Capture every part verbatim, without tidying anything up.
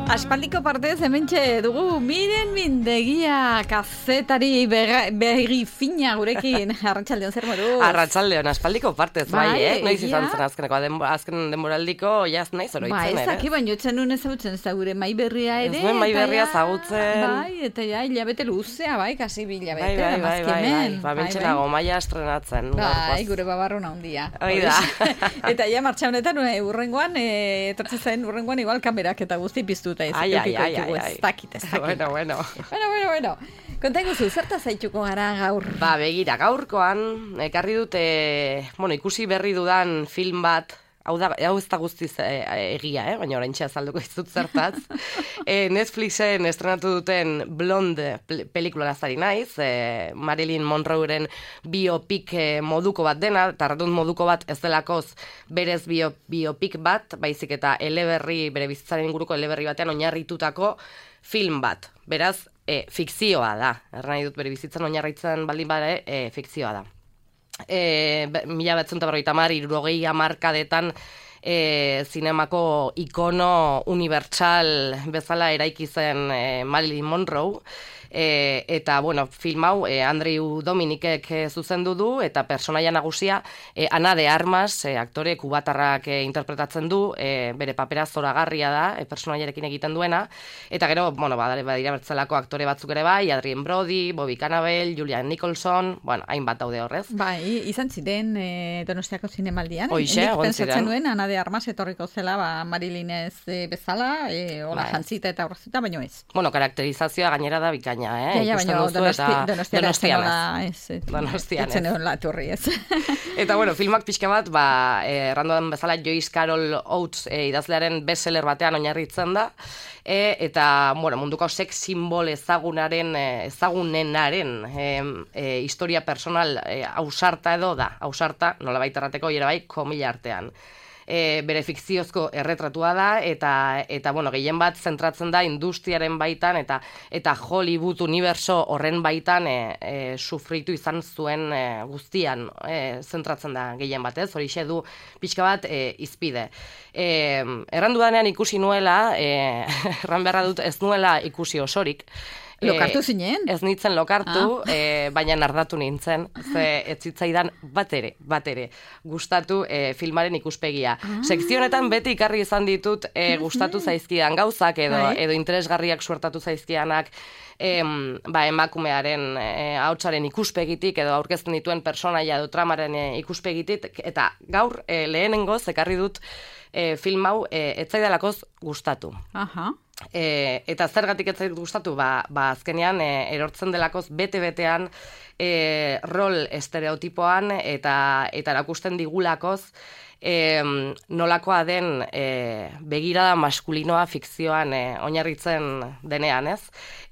Aspaldiko partez hementxe dugu Miren Mindegia kazetari berri fina gurekin. Arratsaldeon zer moduz? Arratsaldeon, aspaldiko partez, bai, bai eh? Noiz izan zen azkeneko, azken denboraldiko jaz naiz oroitzen, ere? Ba, ez aki baino etzen nuen ezagutzen ez da gure mai berria ere. Ez duen mai berria ezagutzen. Bai, eta ja, hilabete luzea, bai, kasi bi hilabete. Bai, bai, bai, bai, bai, ba, bentsenago maia estrenatzen. Bai, gure babarruna handia. Hoi da. Eta ja, martxa honetan, urrengoan, etortzen zen urrengoan igual kamerak eta guzti piztuta. Ai, ai, ai, ai, ai. Ez dakit, ez dakit. Bueno, bueno. Bueno, bueno, bueno. Konta iguzu, zerta zaituko gara gaur? Ba, begira, gaurkoan, ekarri dute, bueno, ikusi berri dudan film bat, hau da, hau ez da guztiz e, egia, eh? Baina oraintxe azalduko izut zertaz. e, Netflixen estrenatu duten Blonde pelikula lazari naiz, e, Marilyn Monroeren biopik e, moduko bat dena, eta radun moduko bat ez delakoz berez bio, biopik bat, baizik eta eleberri, bere bizitzaren inguruko eleberri batean oinarritutako film bat. Beraz, e, fikzioa da. Erran nahi dut bere bizitzan oinarritzen baldin bada, e, fikzioa da. E, mila batzun eta berrogeita hamar, hirurogei hamarkadetan e, zinemako ikono unibertsal bezala eraiki zen e, Marilyn Monroe. E, eta, bueno, film hau e, Andrew Dominikek e, zuzendu du, eta personaia nagusia e, Ana de Armas, e, aktore kubatarrak e, interpretatzen du, e, bere papera zoragarria da, e, personaiarekin egiten duena, eta gero, bueno, badare badira bertzelako aktore batzuk ere bai, Adrien Brody, Bobby Cannavale, Julian Nicholson, bueno, hainbat daude horrez. Bai, izan ziren e, Donostiako zinemaldian. Hoixe, egon ziren. Pentsatzen nuen, Ana de Armas etorriko zela, ba, Marilynez e, bezala, e, hola bai. Jantzita eta horrezita, baino ez. Bueno, karakterizazioa gainera da bikaina. Eh? Ja, ja, baina donosti, donostian ez. Donostian ez. Etzen egon laturri ez. Eta, bueno, filmak pixka bat, ba, eh, randoan bezala Joyce Carol Oates eh, idazlearen bestseller batean oinarritzen da, e, eta, bueno, munduko sex simbol ezagunaren, eh, ezagunenaren eh, eh, historia personal eh, ausarta edo da, ausarta, nola baita errateko, jera bai, komila artean. E, bere fikziozko erretratua da, eta, eta bueno, gehien bat zentratzen da industriaren baitan, eta eta Hollywood universo horren baitan e, e, sufritu izan zuen e, guztian e, zentratzen da gehien bat, ez? Horixe du pixka bat e, izpide. E, errandu danean ikusi nuela, e, erran beharra dut ez nuela ikusi osorik, Lokartu zinen? Ez nintzen lokartu, ah. e, baina nardatu nintzen, ze ez zitzaidan bat ere, bat ere, gustatu e, filmaren ikuspegia. Ah. Sekzionetan beti ikarri izan ditut e, gustatu zaizkidan gauzak edo, edo interesgarriak suertatu zaizkidanak, Em, ba, emakumearen e, ahotsaren ikuspegitik edo aurkezten dituen personaia edo tramaren e, ikuspegitik, eta gaur e, lehenengoz ekarri dut e, film hau e, etzaidalakoz gustatu. Aha. E, eta zergatik ez zait gustatu, ba, ba azkenean e, erortzen delakoz bete-betean e, rol estereotipoan eta eta erakusten digulakoz e, nolakoa den e, begirada maskulinoa fikzioan e, oinarritzen denean, ez?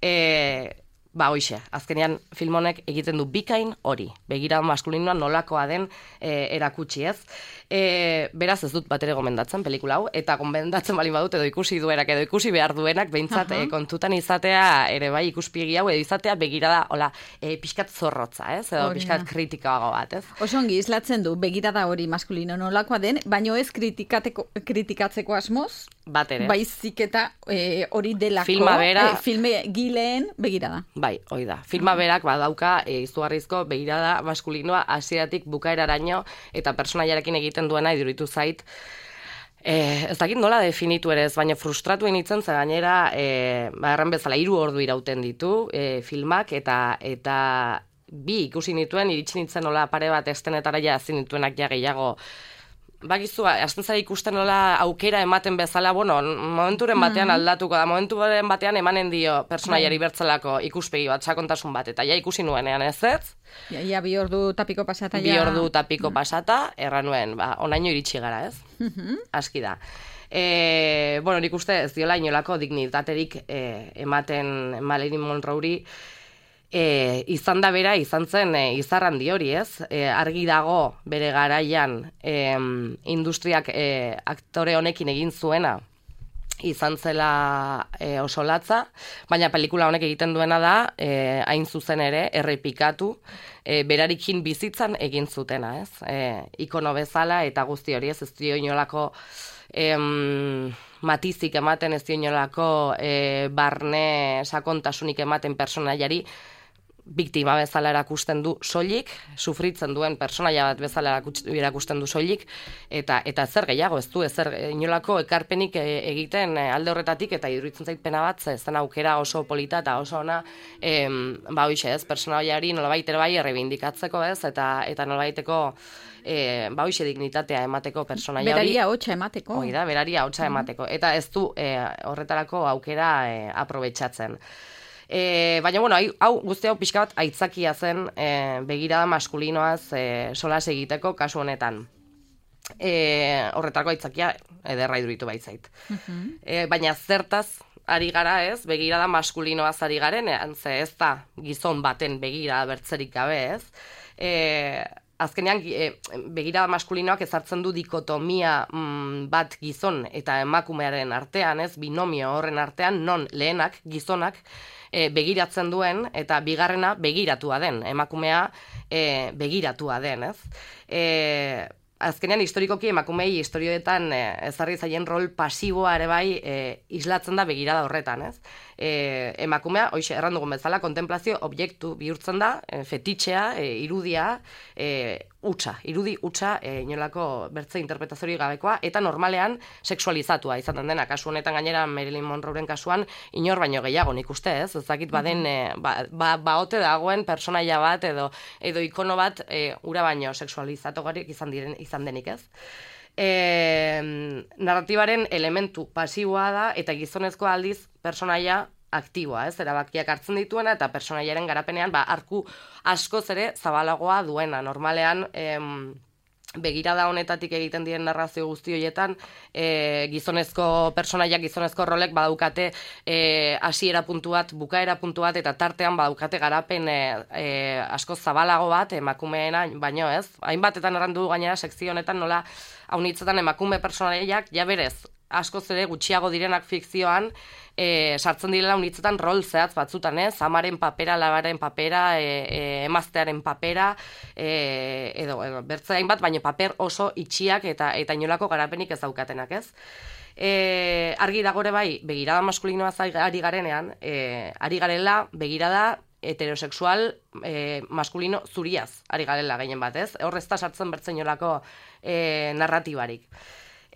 E, Ba, hoixe, azkenean film honek egiten du bikain hori, begirada maskulinoa nolakoa den e, erakutsi, ez? E, beraz ez dut bat ere gomendatzen pelikula hau, eta gomendatzen bali badut edo ikusi duenak edo ikusi behar duenak, behintzat e, kontutan izatea ere bai ikuspegi hau, edo izatea begirada, hola, e, pixkat zorrotza, ez? Edo pixkat kritikago bat, ez? Oso ongi islatzen du begirada hori maskulino nolakoa den, baino ez kritikatzeko asmoz, bat ere. Baizik eta e, hori delako, filma bera, e, filme gileen begirada. Bai, hoi da. Filma berak badauka e, izugarrizko begirada maskulinoa hasieratik bukaeraraino eta personaiarekin egiten duena iduritu zait. E, ez dakit nola definitu ere ez, baina frustratu initzen zen gainera, e, ba, erran bezala hiru ordu irauten ditu e, filmak, eta eta bi ikusi nituen, iritsi nintzen nola pare bat estenetara ja ezin nituenak ja gehiago. Bakizu, hasten zara ikusten nola aukera ematen bezala, bueno, momenturen batean aldatuko da, momenturen batean emanen dio personaiari bertzelako ikuspegi bat, sakontasun bat, eta ja ikusi nuenean ez ez? Ja, ja bi ordu tapiko pasata. Bi ja... ordu tapiko pasata, erra nuen, ba, onaino iritsi gara ez? Aski da. E, bueno, nik uste ez diola inolako dignitaterik e, ematen Marilyn Monroeri, E, izan da bera, izan zen e, izarrandi hori, ez? E, argi dago bere garaian e, industriak e, aktore honekin egin zuena izan zela e, oso latza, baina pelikula honek egiten duena da, e, hain zuzen ere, errepikatu, e, berarikin bizitzan egin zutena, ez? E, ikono bezala eta guzti hori, ez? Ez dio inolako em, matizik ematen ez dionolako e, barne sakontasunik ematen personaiari, biktima bezala erakusten du soilik, sufritzen duen personaia bat bezala erakusten du soilik, eta eta zer gehiago, ez du, ezer inolako ekarpenik egiten alde horretatik, eta iduritzen zait pena bat, zen aukera oso polita eta oso ona, em, ba hoxe ez, personaiari nolabait ere bai errebindikatzeko ez, eta eta nolabaiteko E, ba hoxe dignitatea emateko personaia hori. Beraria hotxa emateko. Hoi da, beraria hotxa emateko. Eta ez du e, horretarako aukera e, aprobetxatzen. E, baina, bueno, hau guzti hau pixka bat aitzakia zen e, begirada maskulinoaz e, solas egiteko kasu honetan. E, horretarako aitzakia ederra iduritu baitzait. Uh-huh. E, baina zertaz ari gara ez, begirada maskulinoaz ari garen, ze ez da gizon baten begirada bertzerik gabe ez. E, Azkenean, e, begirada maskulinoak ezartzen du dikotomia mm, bat gizon eta emakumearen artean, ez, binomio horren artean, non lehenak, gizonak, e, begiratzen duen, eta bigarrena begiratua den, emakumea e, begiratua den, ez. E, azkenean, historikoki emakumei historioetan e, ezarri zaien rol pasiboa ere bai e, islatzen da begirada horretan, ez. E, emakumea, hoxe, erran dugun bezala, kontemplazio objektu bihurtzen da, e, fetitxea, e, irudia, e, utxa, irudi utxa, e, inolako bertze interpretaziorik gabekoa, eta normalean sexualizatua izaten dena, kasu honetan gainera Marilyn Monroeren kasuan, inor baino gehiago nik uste, ez? Ezakit baden, e, ba, ba, baote dagoen personaia bat, edo, edo ikono bat, e, ura baino sexualizatugarik izan, diren, izan denik, ez? E, narratibaren elementu pasiboa da, eta gizonezko aldiz personaia aktiboa, ez, erabakiak hartzen dituena, eta personaiaren garapenean, ba, arku askoz ere zabalagoa duena. Normalean, em, begirada honetatik egiten diren narrazio guzti horietan, e, gizonezko personaiak, gizonezko rolek badaukate e, hasiera puntu bat, bukaera puntu bat, eta tartean badaukate garapen e, e, askoz zabalago bat, emakumeena, baino ez. Hainbatetan errandu gainera sekzio honetan nola haunitzetan emakume personaiak, ja berez, askoz ere gutxiago direnak fikzioan, e, sartzen direla unitzetan rol zehatz batzutan, ez? Amaren papera, labaren papera, e, e, emaztearen papera, e, edo, edo bertze hainbat, baina paper oso itxiak eta eta inolako garapenik ez daukatenak, ez? E, argi dagore bai, begirada maskulinoa ari garenean, e, ari garela begirada heterosexual e, maskulino zuriaz ari garela gehien bat, ez? Hor ez da sartzen bertzen inolako e, narratibarik.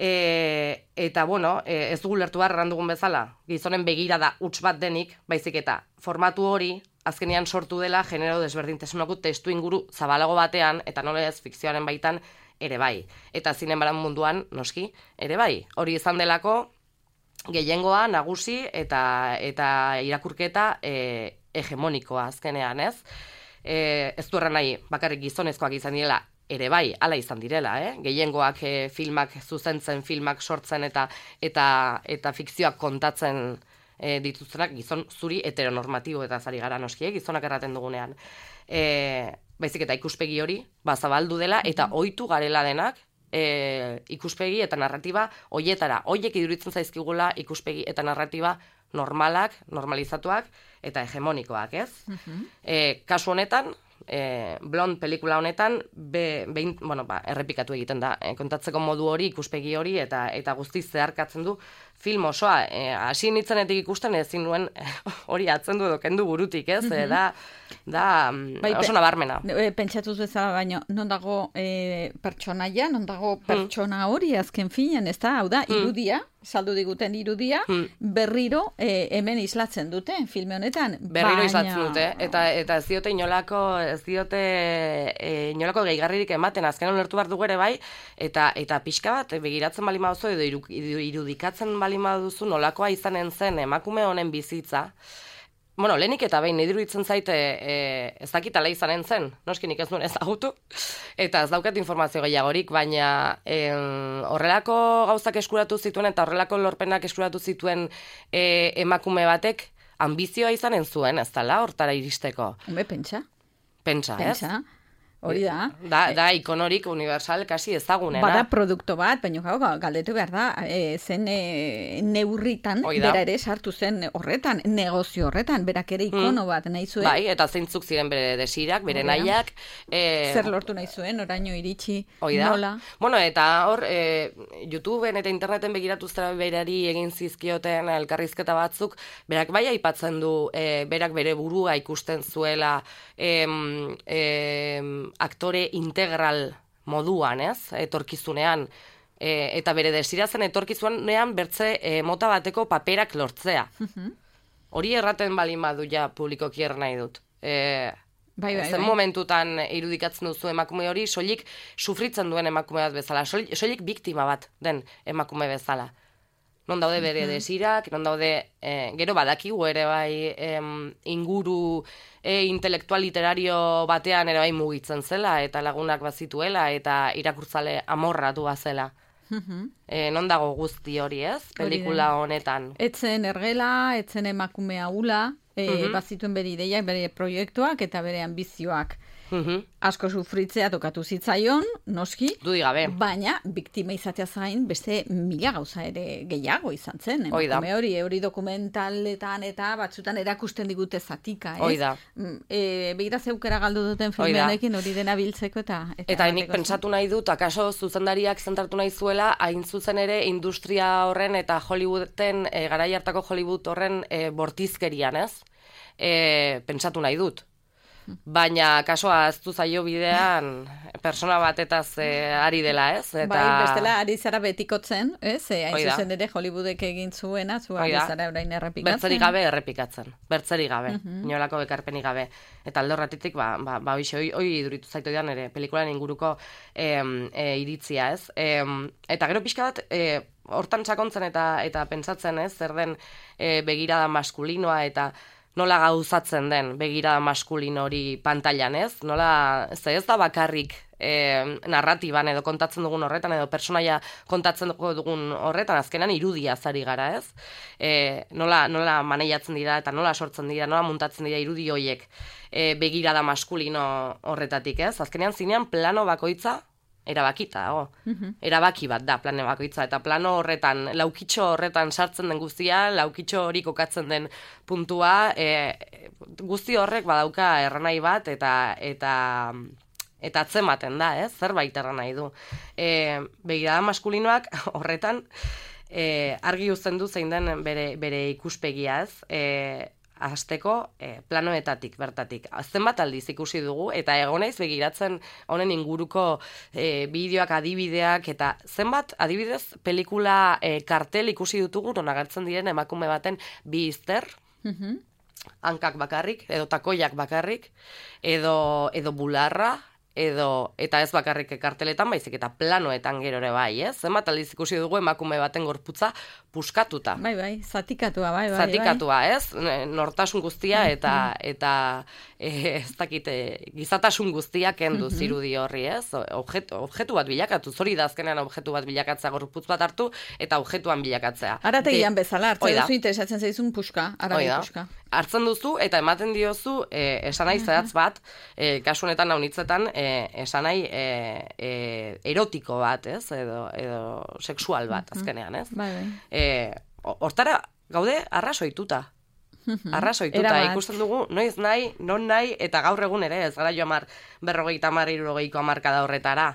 E, eta, bueno, e, ez dugu lertu behar errandugun bezala, gizonen begirada huts bat denik, baizik eta formatu hori, azkenean sortu dela genero desberdintasunako testu inguru zabalago batean, eta nola ez fikzioaren baitan ere bai. Eta zinemaren munduan, noski, ere bai. Hori izan delako, gehiengoa, nagusi, eta, eta irakurketa e, hegemonikoa azkenean, ez? E, ez du erran nahi, bakarrik gizonezkoak izan direla, ere bai, hala izan direla, eh? Gehiengoak e, filmak zuzentzen, filmak sortzen eta eta eta fikzioak kontatzen e, dituztenak gizon zuri heteronormatibo eta zari gara noski, eh? Gizonak erraten dugunean. E, baizik eta ikuspegi hori, bazabaldu dela, eta ohitu garela denak, e, ikuspegi eta narratiba hoietara. Hoiek iduritzen zaizkigula ikuspegi eta narratiba normalak, normalizatuak eta hegemonikoak, ez? Uh-huh. E, kasu honetan, E, Blond pelikula honetan be, behin, bueno, ba, errepikatu egiten da e, kontatzeko modu hori, ikuspegi hori eta eta guztiz zeharkatzen du film osoa. E, hasi nitzenetik ikusten ezin nuen hori atzen du edo kendu burutik, ez? Mm-hmm. E, da, da bai, oso nabarmena. E, pentsatuz bezala, baino, non dago e, pertsonaia, non dago pertsona hori azken finean, ez da? Hau da, irudia, saldu diguten irudia, hmm. berriro e, hemen islatzen dute, filme honetan. Berriro baina... islatzen dute, eta eta ez diote inolako, ez diote e, inolako gehigarririk ematen, azken ulertu behar dugu ere bai, eta eta pixka bat, begiratzen bali maduzu, edo irudikatzen bali maduzu, nolakoa izanen zen emakume honen bizitza. Bueno, lehenik eta behin, iruditzen zaite e, ez dakitala izanen zen, noskinik ez nuen ezagutu, eta ez daukat informazio gehiagorik, baina e, horrelako gauzak eskuratu zituen eta horrelako lorpenak eskuratu zituen e, emakume batek ambizioa izanen zuen, ez dela, hortara iristeko. Hume, pentsa. Pentsa, ez? Pentsa. Hori da. Da, da ikonorik universal kasi ezagunena. Bada produkto bat, baina gau, galdetu behar da, e, zen e, neurritan, bera ere sartu zen horretan, negozio horretan, berak ere ikono bat nahi zuen. Bai, eta zeintzuk ziren bere desirak, bere nahiak. E, Zer lortu nahi zuen, oraino iritsi, oida. nola. Bueno, eta hor, e, YouTubeen eta interneten begiratu zera berari egin zizkioten elkarrizketa batzuk, berak bai aipatzen du, e, berak bere burua ikusten zuela, em, em, aktore integral moduan, ez? Etorkizunean. E, eta bere desira zen etorkizunean bertze e, mota bateko paperak lortzea. Hori erraten balin badu ja publikoki er nahi dut. E, bai, bai, zen bai. momentutan irudikatzen duzu emakume hori, soilik sufritzen duen emakume bat bezala, soilik, soilik biktima bat den emakume bezala. Non daude bere desirak, non daude, eh, gero badakigu ere bai em, inguru e, intelektual literario batean ere bai mugitzen zela, eta lagunak bazituela, eta irakurtzale amorratu bazela. E, non dago guzti hori, ez? Pelikula honetan. Etzen ergela, etzen emakume ahula, e, bazituen bere ideiak, bere proiektuak eta bere ambizioak. Mhm. Asko sufritzea tokatu zitzaion, noski, Dudi gabe. baina biktima izatea zain beste mila gauza ere gehiago izan zen. Hoi da. Emakume hori, hori dokumentaletan eta batzutan erakusten digute zatika, ez? Hoi da. Mm, E, begira zeukera galdu duten filmenekin hori dena biltzeko eta... Eta, Eta nik bateko pentsatu nahi dut, akaso zuzendariak zentratu nahi zuela, hain zuzen ere industria horren eta Hollywooden, e, garai hartako Hollywood horren e, bortizkerian, ez? E, pentsatu nahi dut. Baina kasoa aztu zaio bidean persona batetaz e, ari dela, ez? Eta... Bai, bestela ari zara betikotzen, ez? E, hain Oida. zuzen ere Hollywoodek egin zuena, zu ari Oida. zara orain errepikatzen. Bertzerik gabe errepikatzen. Bertzerik gabe. Inolako bekarpenik gabe. Eta alde horretitik, ba, ba, ba hoxe, hoi, hoi iduritu zaitu edan ere, pelikulan inguruko em, e, iritzia, ez? Em, eta gero pixka bat, e, hortan sakontzen eta eta pentsatzen, ez? Zer den e, begirada maskulinoa eta nola gauzatzen den begirada maskulino hori pantailan, ez? Nola, ze ez da bakarrik e, narratiban edo kontatzen dugun horretan, edo personaia kontatzen dugun horretan, azkenan irudia zari gara, ez? E, nola, nola maneiatzen dira eta nola sortzen dira, nola muntatzen dira irudi hoiek e, begirada maskulino horretatik, ez? Azkenean zinean plano bakoitza erabakita dago. Erabaki bat da plano bakoitza, eta plano horretan, laukitxo horretan sartzen den guztia, laukitxo hori kokatzen den puntua, e, guzti horrek badauka erranai bat, eta eta eta atzematen da, ez? Zerbait erranai du. E, begirada maskulinoak horretan e, argi uzten du zein den bere, bere ikuspegia, ez? E, Azteko eh, planoetatik, bertatik. Zenbat aldiz ikusi dugu, eta egonaiz begiratzen honen inguruko eh, bideoak, adibideak, eta zenbat adibidez pelikula eh, kartel ikusi dutugu, non agertzen diren emakume baten bi izter, hankak bakarrik, edo takoiak bakarrik, edo, edo bularra, edo, eta ez bakarrik karteletan, baizik eta planoetan gero ere bai, ez? Zenbat aldiz ikusi dugu emakume baten gorputza puskatuta. Bai, bai, zatikatua, bai, bai. Zatikatua, bai. Ez? Nortasun guztia eta eta e, ez dakit, e, gizatasun guztia kendu zirudi horri, ez? Objetu, objektu bat bilakatu, hori da azkenean objektu bat bilakatzea, gorputz bat hartu eta objektuan bilakatzea. Arategian bezala, hartzen duzu interesatzen zaizun puska, aragi puska. Hartzen duzu eta ematen diozu e, esanai zehatz bat, e, kasu honetan haunitzetan, e, esanai e, e, erotiko bat, ez? Edo, edo sexual bat, azkenean, ez? Bai, bai. E, hortara gaude arrasoituta. Arrasoituta, ikusten dugu, noiz nahi, non nahi, eta gaur egun ere, ez gara jo amar, berrogeita amar, irurogeiko amarkada horretara.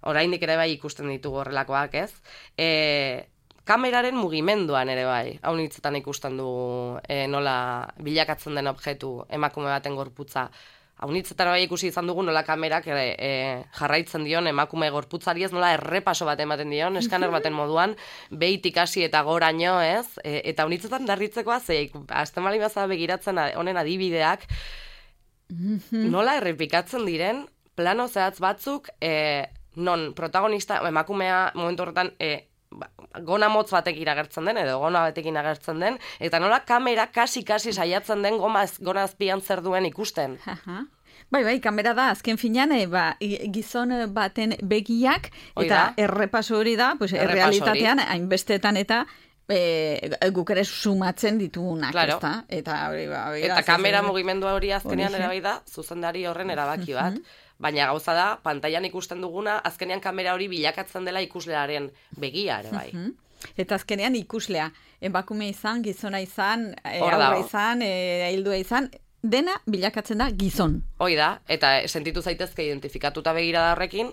Oraindik ere bai ikusten ditugu horrelakoak, ez? E, kameraren mugimenduan ere bai, hau hitzetan ikusten dugu e, nola bilakatzen den objektu emakume baten gorputza. Haunitzetan bai ikusi izan dugu nola kamerak e, e, jarraitzen dion emakume gorputzari, ez nola errepaso bat ematen dion, eskaner baten moduan, behitik hasi eta goraino, ez? E, eta haunitzetan darritzekoa, ze, azten bali baza begiratzen honen adibideak, nola errepikatzen diren, plano zehatz batzuk, e, non protagonista, emakumea momentu horretan, e, gona motz batekin agertzen den, edo gona batekin agertzen den, eta nola kamera kasi-kasi saiatzen den gona azpian zer duen ikusten. Bai, bai, kamera da, azken finean, e, ba, gizon baten begiak, eta errepaso hori da, pues, errealitatean, hainbestetan eta e, guk ere sumatzen ditugunak, claro. Ezta? Eta, hori, ba, hori, eta kamera mugimendua hori azkenean erabai da, zuzendari horren erabaki bat. baina gauza da, pantailan ikusten duguna, azkenean kamera hori bilakatzen dela ikuslearen begia ere bai. Uh-huh. Eta azkenean ikuslea, emakume izan, gizona izan, e, aurra izan, e, hildua izan, dena bilakatzen da gizon. Hoi da, eta sentitu zaitezke identifikatuta begirada horrekin,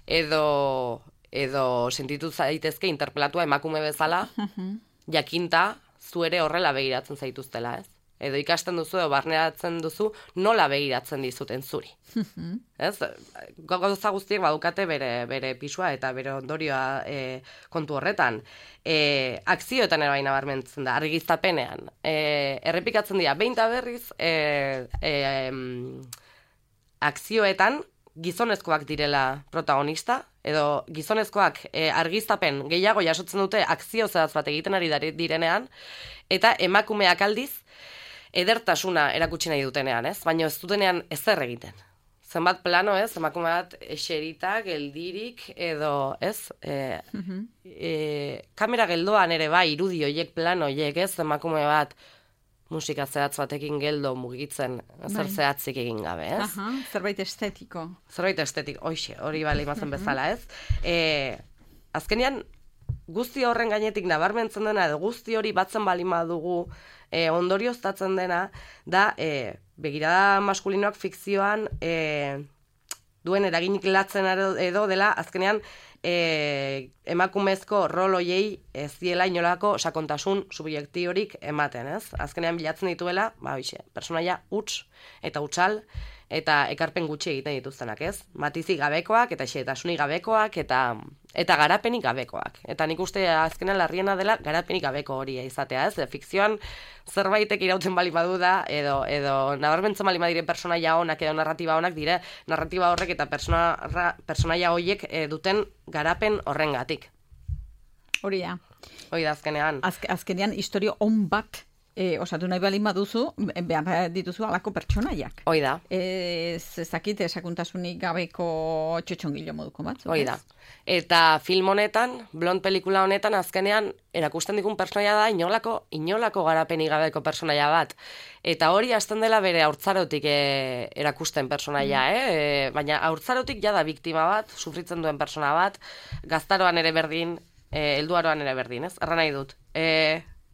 edo, edo sentitu zaitezke interpelatua emakume bezala, uh-huh. jakinta zu ere horrela begiratzen zaituztela, ez? Edo ikasten duzu, edo barneratzen duzu, nola begiratzen dizuten zuri. Ez? Gauza guztiek badukate bere, bere pisua eta bere ondorioa e, kontu horretan. E, akzioetan ere baina barmentzen da, argiztapenean. E, errepikatzen dira, behin eta berriz, e, e, akzioetan gizonezkoak direla protagonista, edo gizonezkoak e, argiztapen gehiago jasotzen dute akzio zehaz bat egiten ari direnean, eta emakumeak aldiz, edertasuna erakutsi nahi dutenean, ez? Baina ez dutenean ezer egiten. Zenbat plano, ez? Emakume bat eserita, geldirik, edo, ez? E, uh-huh. e, kamera geldoan ere bai, irudi hoiek, plano hoiek, ez? Emakume bat musika zehatz batekin geldo mugitzen, zer zehatzik egin gabe, ez? Aha, zerbait estetiko. Zerbait estetiko, hoxe, hori bale imazen bezala, ez? E, azkenean, guzti horren gainetik nabarmentzen dena, edo guzti hori batzen bali madugu, E, ondorioztatzen dena, da, e, begirada maskulinoak fikzioan e, duen eraginik latzen edo dela, azkenean, e, emakumezko rol hoiei ez diela inolako sakontasun subjektiorik ematen, ez? Azkenean bilatzen dituela, ba, hoxe, personaia huts eta hutsal, eta ekarpen gutxi egiten dituztenak, ez? Matizi gabekoak, eta xehetasunik gabekoak, eta eta garapenik gabekoak. Eta nik uste azkenean larriena dela garapenik gabeko hori izatea, ez? Fikzioan zerbaitek irauten bali badu da, edo, edo nabarmentzen bali badire personaia honak edo narratiba honak dire, narratiba horrek eta persona, personaia horiek e, duten garapen horrengatik. Hori da. Hori da azkenean. Azke, azkenean historio on bat E, osatu nahi balin baduzu, behar dituzu alako pertsonaiak. Hoi da. Ez ezakit esakuntasunik gabeko txotxongilo moduko bat. Hoi da. Eta film honetan, blond pelikula honetan, azkenean, erakusten dikun pertsonaia da, inolako, inolako garapenik gabeko pertsonaia bat. Eta hori hasten dela bere haurtzarotik e, erakusten pertsonaia, mm. eh? E, baina haurtzarotik jada biktima bat, sufritzen duen pertsona bat, gaztaroan ere berdin, e, helduaroan ere berdin, ez? Erra nahi dut. E,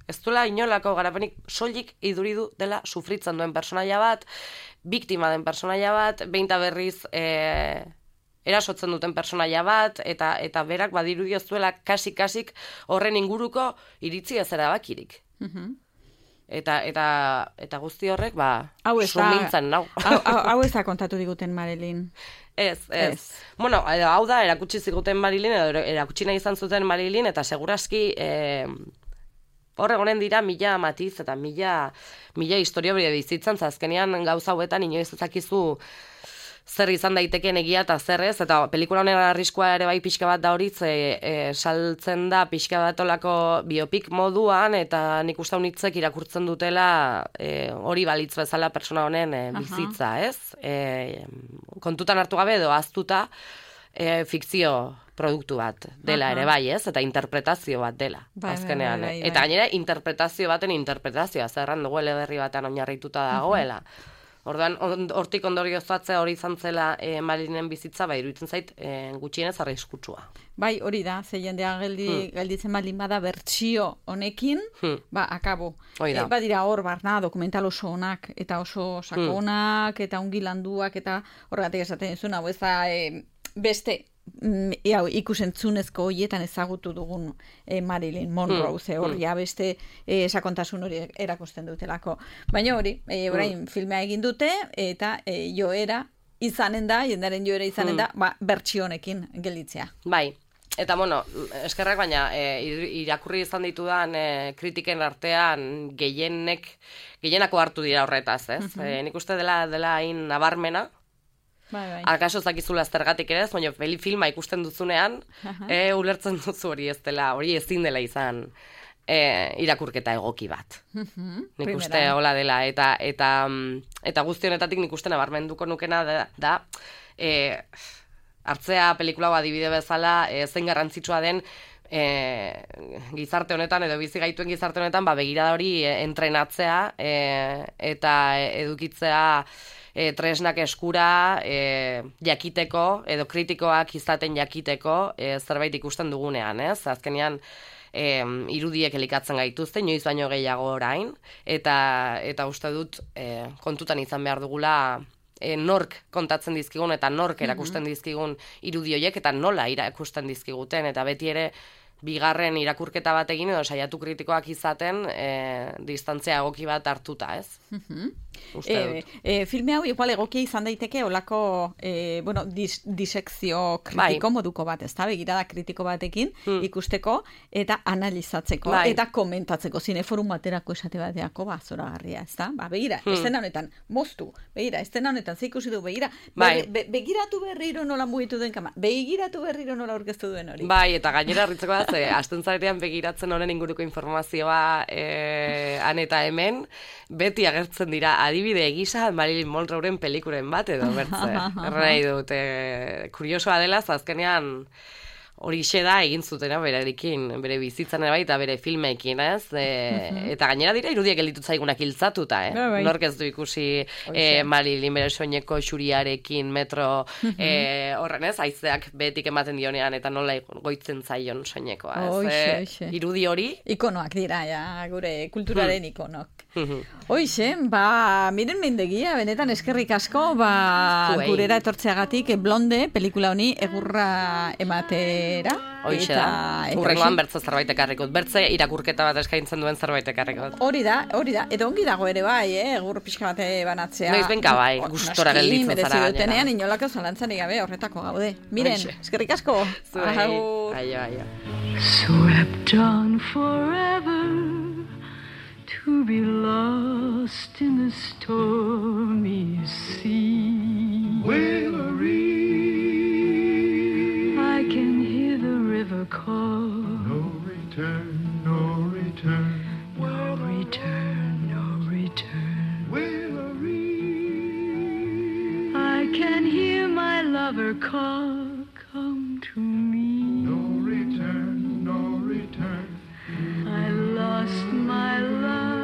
Ez duela inolako garapenik soilik iduridu dela sufritzen duen personaia bat, biktima den personaia bat, behinta berriz e, erasotzen duten personaia bat, eta eta berak badirudi ez duela kasik-kasik horren inguruko iritzi ez erabakirik. Uh-huh. Eta, eta, eta guzti horrek, ba, sumintzen nau. Hau, hau, hau ez da kontatu diguten Marilyn. Ez, ez. ez. Bueno, hau da, erakutsi ziguten Marilyn, edo erakutsi nahi izan zuten Marilyn, eta seguraski... E, Horre gonen dira mila matiz eta mila, mila historia bere bizitzan, azkenean gauza hauetan inoiz ezakizu zer izan daitekeen egia eta zer ez, eta pelikula honen arriskua ere bai pixka bat da horitz, e, e, saltzen da pixka bat olako biopik moduan, eta nik uste honitzek irakurtzen dutela e, hori balitz bezala persona honen e, bizitza, ez? E, kontutan hartu gabe edo aztuta e, fikzio produktu bat dela ere bai, ez? Eta interpretazio bat dela, bai, azkenean. Bai, bai, bai. Eta gainera, interpretazio baten interpretazioa, zerran dugu eleberri batean oinarrituta dagoela. Orduan, hortik ondorioztatzea hori izan zela e, Marilynen bizitza, bai, iruditzen zait, e, gutxienez arriskutsua. Bai, hori da, ze jendea geldi, hmm. gelditzen balin bada bertsio honekin, hmm. ba, akabo. E, badira hor, barna, dokumental oso onak, eta oso sakonak, hmm. eta ongi landuak, eta horregatik esaten dizuna, hau ez da, e, beste, Iau, ikusentzunezko horietan ezagutu dugun e, Marilyn Monroe, ze hori mm. beste e, sakontasun hori erakusten dutelako. Baina hori, e, orain mm. filmea egin dute, eta e, joera izanen da, jendaren joera izanen mm. da, ba, bertsio honekin gelditzea. Bai, eta bueno, eskerrak baina e, irakurri izan ditudan e, kritiken artean gehienek, gehienako hartu dira horretaz, ez? Mm-hmm. E, nik uste dela, dela hain nabarmena, Bai, bai. Akaso zakizula zergatik ere ez, baina peli filma ikusten duzunean, uh-huh. e, ulertzen duzu hori ez dela, hori ezin dela izan e, irakurketa egoki bat. Uh-huh. Nik Primera. uste hola dela, eta eta eta guzti honetatik nik uste nabarmenduko nukena da, da e, hartzea pelikula adibide bezala, e, zein garrantzitsua den e, gizarte honetan, edo bizi gaituen gizarte honetan, ba, begirada hori entrenatzea e, eta edukitzea e, tresnak eskura e, jakiteko, edo kritikoak izaten jakiteko e, zerbait ikusten dugunean, ez? Azkenean, E, irudiek elikatzen gaituzte, inoiz baino gehiago orain, eta, eta uste dut e, kontutan izan behar dugula e, nork kontatzen dizkigun eta nork erakusten dizkigun irudi horiek eta nola irakusten dizkiguten, eta beti ere bigarren irakurketa bat egin edo saiatu kritikoak izaten e, distantzia egoki bat hartuta, ez? Uste dut. E, e, filme hau igual egokia izan daiteke olako e, bueno, dis, disekzio kritiko bai. Moduko bat, ez da, begirada kritiko batekin hmm. ikusteko eta analizatzeko bai. Eta komentatzeko zineforum baterako esate bateako ba, zoragarria, ez da? Ba, begira, hmm. estena honetan, moztu, begira, estena honetan, ze ikusi du, begira, bai. be, be, begiratu berriro nola mugitu duen kama, begiratu berriro nola aurkeztu duen hori. Bai, eta gainera harritzeko da, ze, asten zaretean begiratzen honen inguruko informazioa e, han eta hemen, beti agertzen dira adibide egisa Marilyn Monroeren pelikuren bat edo bertze. Errai dut, e, kuriosoa dela, azkenean horixe da egin zutena berarekin, bere bizitzan ere bai eta bere filmeekin, ez? E, eta gainera dira irudiek gelditu zaigunak hiltzatuta, eh? Bai. Nork ez du ikusi e, Marilyn bere soineko xuriarekin metro e, horren, ez? Haizeak betik ematen dionean eta nola goitzen zaion soinekoa, ez? Oixe, oixe. Irudi hori ikonoak dira, ja, gure kulturaren hmm. ikonok. Hoixe, ba, miren mendegia, benetan eskerrik asko, ba, Zuei. Gurera etortzeagatik Blonde pelikula honi egurra ematera. Hoixe da, urrengoan bertze zerbait ekarrikot, bertze irakurketa bat eskaintzen duen zerbait ekarrikot. Hori da, hori da, edo ongi dago ere bai, eh, egur pixka bate banatzea. Noiz benka bai, gustora gelditzen zara gainera. Dutenean, inolako zalantzarik gabe horretako gaude. Miren, eskerrik asko. Zuei, aio, aio. Swept on forever to be lost in the stormy sea. Willory, I can hear the river call. No return, no return. No return, no return. Willory, I can hear my lover call. Come to me. No return, no return. I lost my love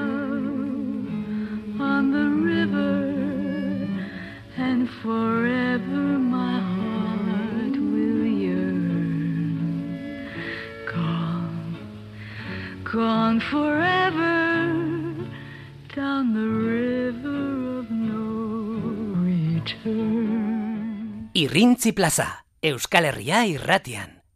on the river, and forever my heart will yearn. Gone, gone forever, down the river of no return. Irrintzi Plaza, Euskal Herria irratian.